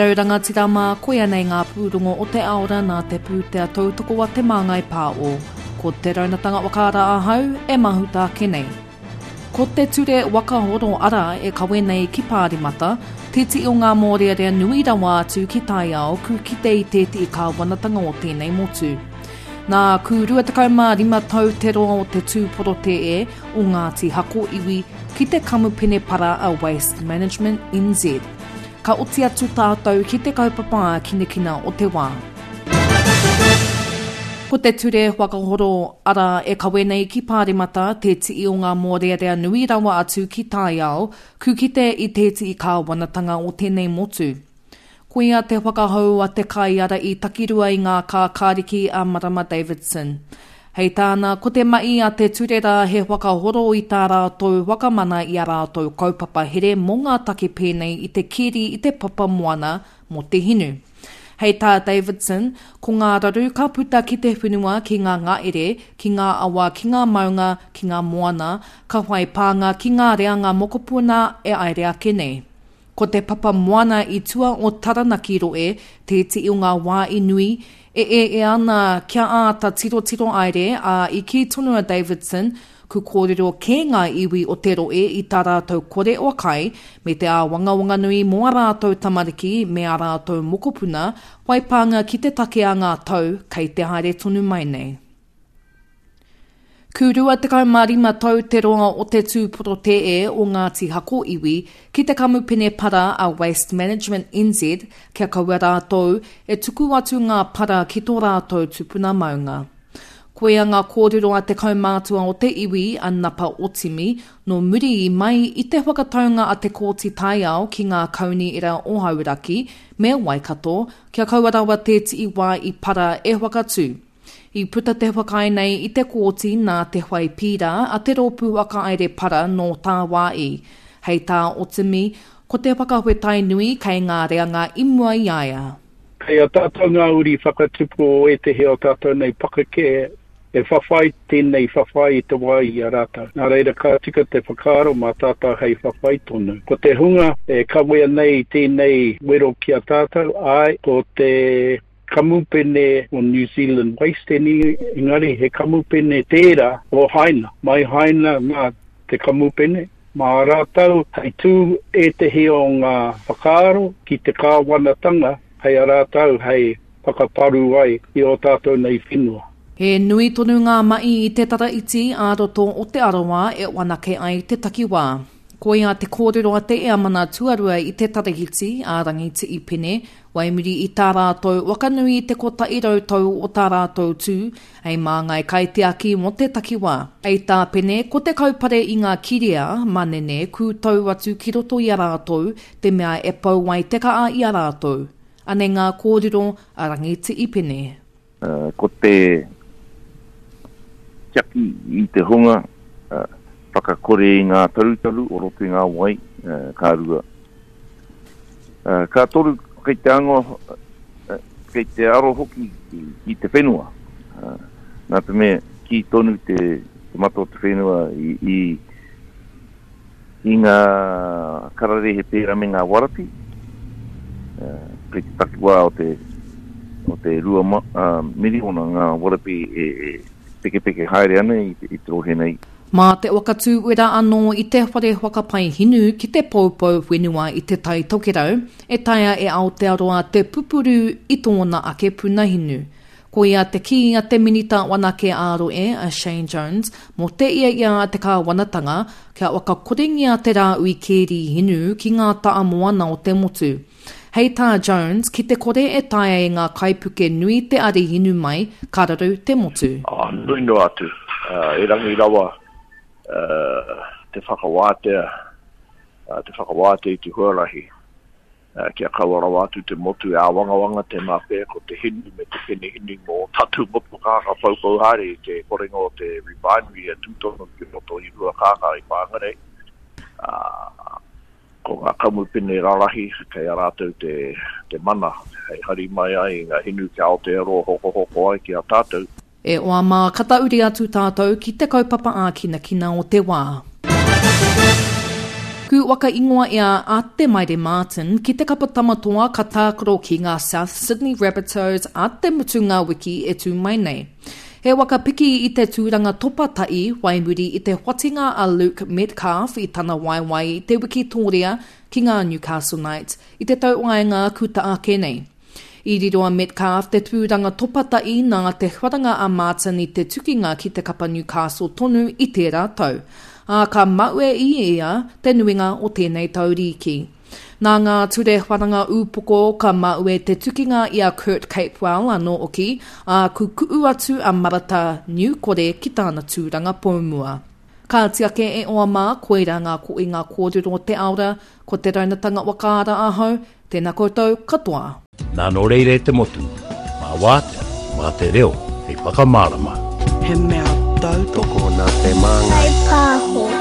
rau rangatira mā, koia nei ngā pūrongo o te aora nā te pūtea tautoko a Te Māngai Pāo. Ko Te Raunatanga Whakaara ahau e mahuta ake nei. Ko te ture waka horo ara e kawe nei ki Pāremata, tētehi o ngā mōrearea nui rawa atu ki taiao ku kite i tētehi kāwanatanga o tēnei motu. Nā, ku 25 tau te roa o te tū porotē o Ngāti Hako iwi ki te kamupene para a Waste Management NZ. Ka oti atu tātou ki te kaupapa ākinakina o te wā. Ko te ture whakahoro ara e kawe nei ki Pāremata te tii o ngā mōrearea nui rawa atu ki taiao, ku kite i tētii kāwanatanga o tēnei motu. Koia te whakahou a te kaiara i takirua i ngā kākāriki a Marama Davidson. Hei tāna, ko te mahi a te ture rā he whakahoro i tā rātou whakamana i a rātou kaupapa here mō ngā take pēnei i te keri i te papa moana mō te hinu. Hei tā Davidson, ko ngā raru ka puta ki te whenua ki ngā ngaere, ki ngā awa, ki ngā maunga, ki ngā moana, ka whai pānga ki ngā reanga mokopuna e aere ake nei. Ko te papa moana i tua o Taranaki roe tētehi o ngā wā i nui e ea ana kia āta tirotiro aere, ā, i kī tonu a Davidson, ku kōrero kē ngā iwi o te roe i tā rātou kore o kai, me te āwangawanga nui mō ā rātou tamariki me ā rātou mokopuna, whai pānga ki te take a ngā tau kei te haere tonu mai nei. Ku 25 tau te roa o te tū porotēe o Ngāti Hako iwi ki te kamupene para a Waste Management NZ kia kaua rātou e tuku atu ngā para ki tō rātou tupuna maunga. Koia ngā kōrero a te kaumātua o te iwi a Napa Otimi nō muri i mai i te whakataunga a te Kōti Taiao ki ngā Kaunihera o Hauraki me Waikato kia kaua rawa tētii wā i para e whakatū. I puta te whakaae nei i te kōti nā te whai pīrā a te rōpū whakahaere para nō tāwāi. Hei tā Otimi, ko te whakawhetai nui kei ngā reanga i mua i a ia. Kei a tātou ngā uri whakatupu o ētehi o tātou nei pakeke e whawhai tēnei whawhai i te wā i a rātou. Nā reira ka tika te whakaaro mā tātou hei whawhai tonu. Ko te hunga e kawea nei tēnei wero ki a tātou, āe, ko te kamupene o New Zealand Waste engari he kamupene tērā o Haina. Mai Haina nā te kamupene, mā rātou hei tū ētehi o ngā whakaaro ki te kāwanatanga hei a rātou hei whakaparu ai i ō tātou nei whenua. He nui tonu ngā mahi i te tara iti ā-roto o Te Arawa e whanake ai te takiwā. Koia te kōrero a te Eamana Tuarua i te Tarahiti, a Rangiti'i Pene, Wai muri i tā rātou wakanui i te 100 tau o tā rātou tū hei māngai kaitiaki mō te takiwā. Hei tā Pene, ko te kaupare i ngā kirea, manene, kūtau atu ki roto i a rātou, te mea e pau ai te kaa i a rātou. Anei ngā kōrero a Rangiti'i Pene. Ko te tiaki i te hunga whakakore i ngā tarutaru o roto i ngā wai, ka rua. Ka toru, kei te anga, kei te aro hoki ki te whenua. Nā te mea, kī tonu te mata o te whenua i, i ngā kararehe pērā me ngā warapi, kei te takiwā o te, o te 2 miriona ngā warapi e pekepeke haere ana i te, i te rohe nei. Mā te whakatū wera anō i te whare whakapae hinu ki te poupou whenua i Te Tai Tokerau, e taea e Aotearoa te pupuru i tōna ake puna hinu. Koia te kī a te Minita Wanake ā-Rohe, a Shane Jones, mō te ia a te kāwanatanga kia whakakorengia te rāhui kēri hinu ki ngā ta'a moana o te motu. Hei tā Jones, ki te kore e taea e ngā kaipuke nui te ari hinu mai, ka raru te motu. Ā, nui noa atu, erangi rawa te whakawātea, te whakawātea i te huarahi. Kia kaua rawa atu te motu e āwangawanga, tēnā pea ko te hinu me te penehinu mō ō tātou motokā ka poupou haere i te korenga o te refinery e tū tonu ki roto i Ruakākā i Whangarei. Ā, ko ngā kamupene rarahi kei a rātou te, te mana hei hari mai ai i ngā hinu ki Aotearoa hokohoko ai ki a tātou. E oa mā, ka tahuri atu tātou ki te kaupapa ākinakina o te wā. Ku. waka ingoa ia a Te Maire Martin ki te kapa Tamatoa ka tākaro ki ngā South Sydney Rabbitohs a te mutunga wiki e tū mai nei. He waka piki i te tūranga topa ta'i wai muri i te whatinga a Luke Metcalf i tana waewae i te wikitōria ki ngā Newcastle Knights i te tau waenga kuta ake nei. I riro a Metcalf te tūranga topa ta'i nā te wharanga a Martin i te tukinga ki te kapa Newcastle tonu i tērā tau, ā, ka maue i ia te nuinga o tēnei tau rīki. Nā ngā ture wharanga ūpoko ka maue te tukinga i a Kurt Capewell anō hoki, ā, kukuʻu atu a Marata Niukore ki tāna tūranga poumua. Kāti ake e oa mā, koirā ngā koinga kōrero o te aora, ko te raunatanga whakaara ahau, tēnā koutou katoa. Nā nō reira e te motu, mā wātea, mā te reo hei whakamārama. He mea tautoko. Tokona te māngai. Whai pāho.